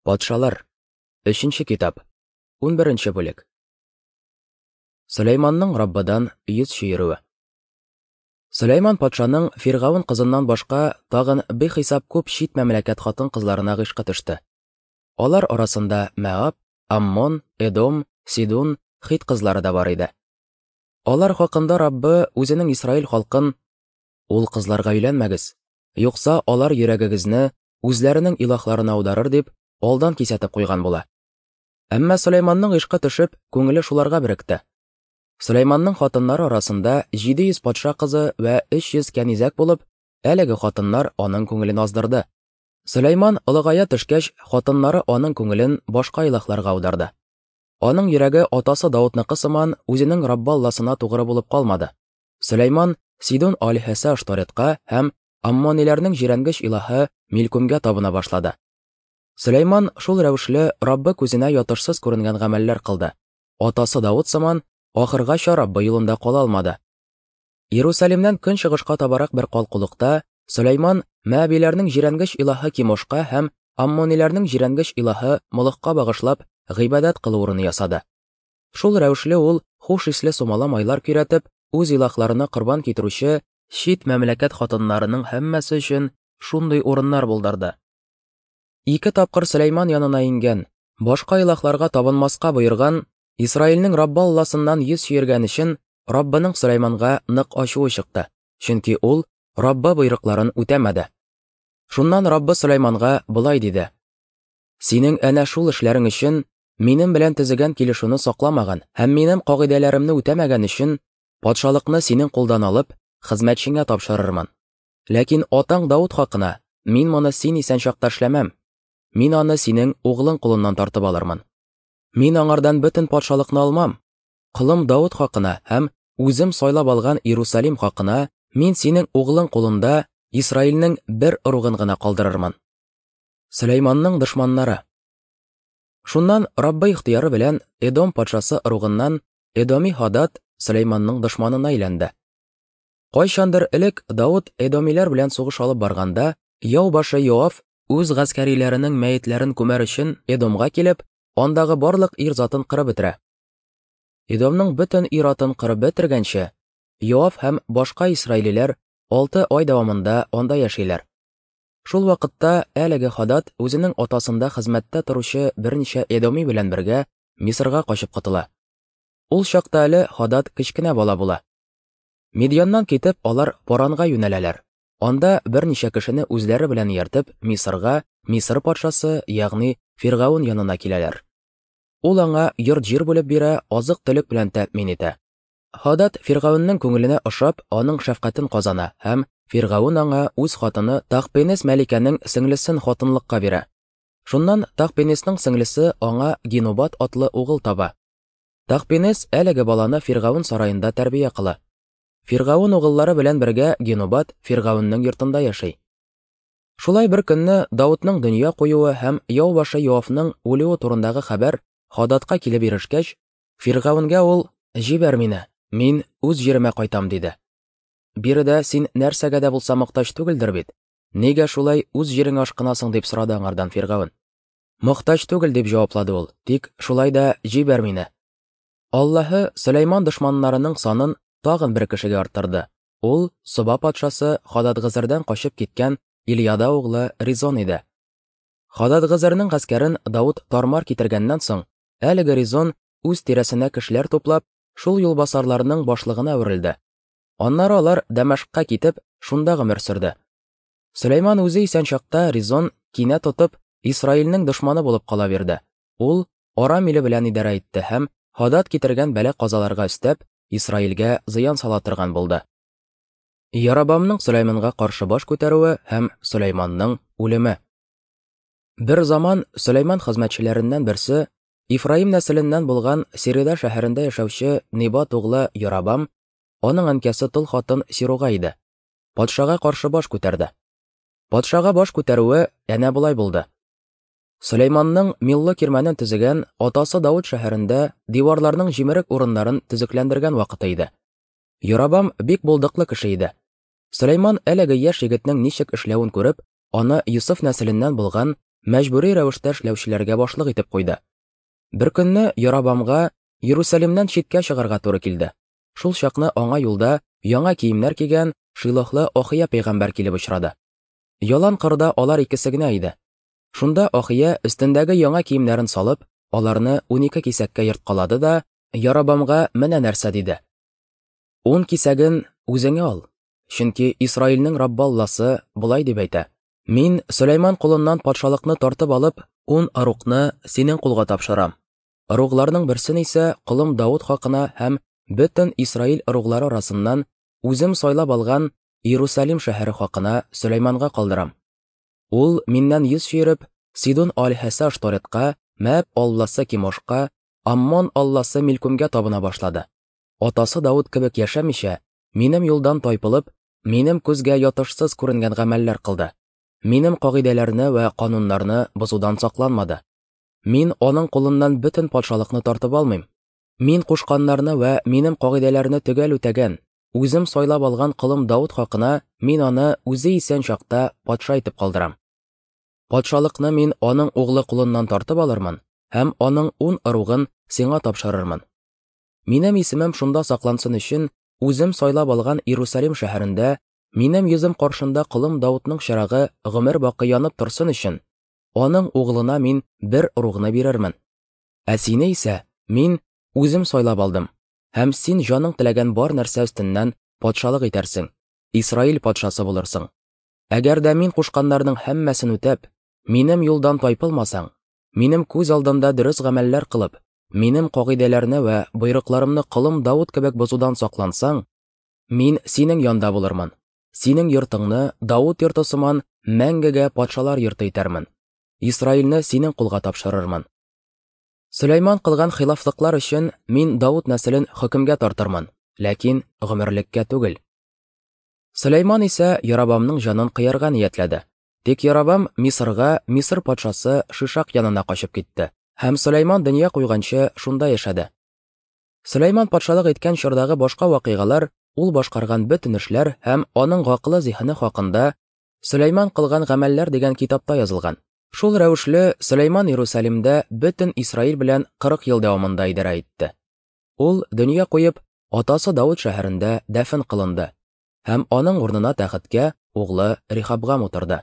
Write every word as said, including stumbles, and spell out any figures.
Патшалар. Өченче китап. Унберенче бүлек. Сөләйманның Раббыдан йөз чөерүе. Сөләйман патшаның Фиргавен кызыннан башка тагын бихисап күп чит мәмләкәт хатын-кызларына гыйшкы төште. Алар арасында Мәаб, Аммон, Эдом, Сидун, Хит кызлары да бар иде. Алар хакында Раббы үзенең Исраил халкын: "Ул кызларга өйләнмәгез, юкса алар йөрәгегезне үзләренең илаһларына аударыр" дип алдан кисәтеп куйган була. Әмма Сөләйманның гыйшкы төшеп, күңеле шуларга беректе. Сөләйманның хатыннары арасында җиде йөз патша кызы вә өч йөз кәнизәк булып, әлеге хатыннар аның күңелен аздырды. Сөләйман олыгая төшкәч, хатыннары аның күңелен башка илаһларга аударды. Аның йөрәге атасы Даудныкы сыман үзенең Раббы Алласына тугры булып калмады. Сөләйман Сидун алиһәсе Ашторетка һәм аммониләрнең җирәнгеч илаһы Милкумгә табына башлады. Сөләйман шул рәвешле Раббы күзенә ятышсыз күренгән гамәлләр кылды. Атасы Дауд сыман ахыргача Раббы юлында кала алмады. Иерусалимнән көнчыгышка табарак бер калкулыкта Сөләйман Мәабиләрнең җирәнгеч илаһы Кимошка һәм аммониләрнең җирәнгеч илаһы Молохка багышлап гыйбадәт кылу урыны ясады. Шул рәвешле ул хуш исле сумала майлар көйрәтеп, үз илаһларына корбан китерүче чит мәмләкәт хатыннарының һәммәсе өчен шундый урыннар булдырды. Ике тапкыр Сөләйман янына иңгән, башка илаһларга табынмаска боерган, Исраилнең Раббы Алласыннан йөз чөергән өчен Раббының Сөләйманга нык ачуы чыкты, чөнки ул Раббы боерыкларын үтәмәде. Шуннан Раббы Сөләйманга болай диде: "Синең әнә шул эшләрең өчен, минем белән төзегән килешүне сакламаган һәм минем кагыйдәләремне үтәмәгән өчен патшалыкны синең кулдан алып, хезмәтчеңә тапшырырмын. Ләкин атаң Дауд хакына мин моны син исән чакта эшләмәм. Мин аны синең углың кулыннан тартып алырмын. Мин аңардан бөтен патшалыкны алмам. Колым Дауд хакына һәм үзем сайлап алган Иерусалим хакына мин синең углың кулында Исраилнең бер ыругын гына калдырырмын." Сөләйманның дошманнары. Шуннан Раббы ихтыяры белән Эдом патшасы ыругыннан Эдоми Хадад Сөләйманның дошманына әйләнде. Кайчандыр элек Дауд эдомиләр белән сугыш алып барганда, яу башы Йоав үз гаскәриләренең мәетләрен күмәр өчен Эдомга килеп, андагы барлык ир затын кырып бетерә. Эдомның бөтен ир атын кырып бетергәнче, Йоав һәм башка исраилиләр алты ай дәвамында анда яшиләр. Шул вакытта әлеге Хадад үзенең атасында хезмәттә торучы берничә эдоми белән бергә Мисырга качып котыла. Ул чакта әле Хадад кечкенә бала була. Мидьяннан китеп, алар Паранга юнәләләр. Анда берничә кешене үзләре белән ияртеп, Мисырга, Мисыр патшасы, ягъни Фиргавен янына киләләр. Ул аңа йорт-җир бүлеп бирә, азык-төлек белән тәэмин итә. Хадад Фиргавеннең күңеленә ошап, аның шәфкатен казана һәм Фиргавен аңа үз хатыны Тахпенес мәликәнең сеңлесен хатынлыкка бирә. Шуннан Тахпенесның сеңлесе аңа Генубат атлы угыл таба. Тахпенес әлеге баланы Фиргавен сараенда тәрбия кыла. Фиргавен угыллары белән бергә Генубат Фиргавеннең йортында яши. Шулай бер көнне Даудның дөнья куюы һәм яу башы Йоавның үлүе турындагы хәбәр Хададка килеп ирешкәч, Фиргавенгә ул: "Җибәр мине, мин үз җиремә кайтам", диде. "Биредә син нәрсәгә дә булса мохтаҗ түгелдер бит? Нигә шулай үз җиреңә ашкынасың?" дип сорады аңардан Фиргавен. "Мохтаҗ түгел", дип җаваплады ул. "Тик шулай да җибәр мине." Аллаһы Сөләйман дошманнарының санын тагын бер кешегә арттырды. Ул Соба патшасы Хададгызырдан качып киткән Ильяда углы Ризон иде. Хададгызырның гаскәрен Дауд тармар китергәннән соң, әлеге Ризон үз тирәсенә кешеләр туплап, шул юлбасарларның башлыгына әверелде. Аннары алар Дәмәшкка китеп, шунда гомер сөрде. Сөләйман үзе исән чакта Ризон кинә тотып, Исраилнең дошманы булып кала бирде. Ул Арам иле белән идарә итте һәм Хадад китергән бәла-казаларга өстәп, Исраилгә зыян сала торган булды. Ярабамның Сөләйманга каршы баш күтәрүе һәм Сөләйманның үлеме. Бер заман Сөләйман хезмәтчеләреннән берсе, Ифраим нәселеннән булган Сирида шәһәрендә яшәүче Небат углы Ярабам, аның әнкәсе тол хатын Сируга иде, патшага каршы баш күтәрде. Патшага баш күтәрүе әнә болай булды. Сөләйманның Милло кирмәнен төзегән атасы Дауд шәһәрендә диварларның җимерек урыннарын төзекләндергән вакыты иде. Ярабам бик булдыклы кеше иде. Сөләйман әлеге яшь егетнең ничек эшләвен күреп, аны Йосыф нәселеннән булган мәҗбүри рәвештә эшләүчеләргә башлык итеп куйды. Бер көнне Яробамга Иерусалимнән читкә чыгарга туры килде. Шул чакны аңа юлда яңа киемнәр кигән Шилохлы Ахия пәйгамбәр килеп очрады. Ялан кырда алар икесе генә иде. Шунда Ахия өстендәге яңа киемнәрен салып, аларны унике кисәккә ерткалады да Яробамга менә нәрсә диде: "Ун кисәген үзеңә ал, чөнки Исраилнең Раббы Алласы болай дип әйтә: Мин Сөләйман кулыннан патшалыкны тартып алып, ун ыругны синең кулга тапшырам. Ыругларның берсен исә колым Давыт хакына һәм бөтен Исраил ыруглары арасыннан үзем сайлап алган Иерусалим шәһәре хакына Сөләйманга калдырам. Ул миннән йөз чөереп, Сидон алиһәсе Ашторетка, Мәаб алласы Кимошка, Аммон алласы Милкумгә табына башлады. Атасы Давыт кебек яшәмичә, минем юлдан тайпылып, минем күзгә ятышсыз күренгән гамәлләр кылды. Минем кагыйдәләрне вә кануннарны бозудан сакланмады. Мин аның кулыннан бөтен патшалыкны тартып алмыйм. Мин кушканнарны вә минем кагыйдәләрне төгәл үтәгән, үзем сайлап алган колым Давыт хакына мин аны үзе исән чакта патша итеп калдырам. Патшалыкны мин аның углы кулыннан тартып алырмын һәм аның ун ыругын сиңа тапшырырмын. Минем исемем шунда саклансын өчен, үзем сайлап алган Иерусалим шәһәрендә минем йөзем каршында колым Давытның чырагы гомер бакый янып торсын өчен, аның углына мин бер ыругны бирермен. Ә сине исә мин үзем сайлап алдым, һәм син җаның теләгән бар нәрсә өстеннән патшалык итәрсең, Исраил патшасы булырсың. Әгәр дә мин кушканнарның һәммәсен үтәп, минем юлдан тайпылмасаң, минем күз алдымда дөрес гамәлләр кылып, минем кагыйдәләрне вә боерыкларымны колым Давыт кебек бозудан саклансаң, мин синең янда булырмын. Синең йортыңны Давыт йорты сыман мәңгегә патшалар йорты итәрмен. Исраилне синең кулга тапшырырмын. Сөләйман кылган хилафлыклар өчен мин Давыт нәселен хөкемгә тартырмын, ләкин гомерлеккә түгел." Сөләйман исә Яробамның җанын кыярга ниятләде. Тик Яробам Мисырга, Мисыр патшасы Шишак янына качып китте һәм Сөләйман дөнья куйганчы шунда яшәде. Сөләйман патшалык иткән чордагы башка вакыйгалар, ул башкарган бөтен эшләр һәм аның гакылы зиһене хакында Сөләйман кылган гамәлләр дигән китапта язылган. Шул рәвешле Сөләйман Иерусалимдә бөтен Исраил белән кырык ел дәвамында идарә итте. Ул дөнья куеп, атасы Давыт шәһәрендә дәфен кылынды һәм аның урынына тәхеткә углы Рехабгам утырды.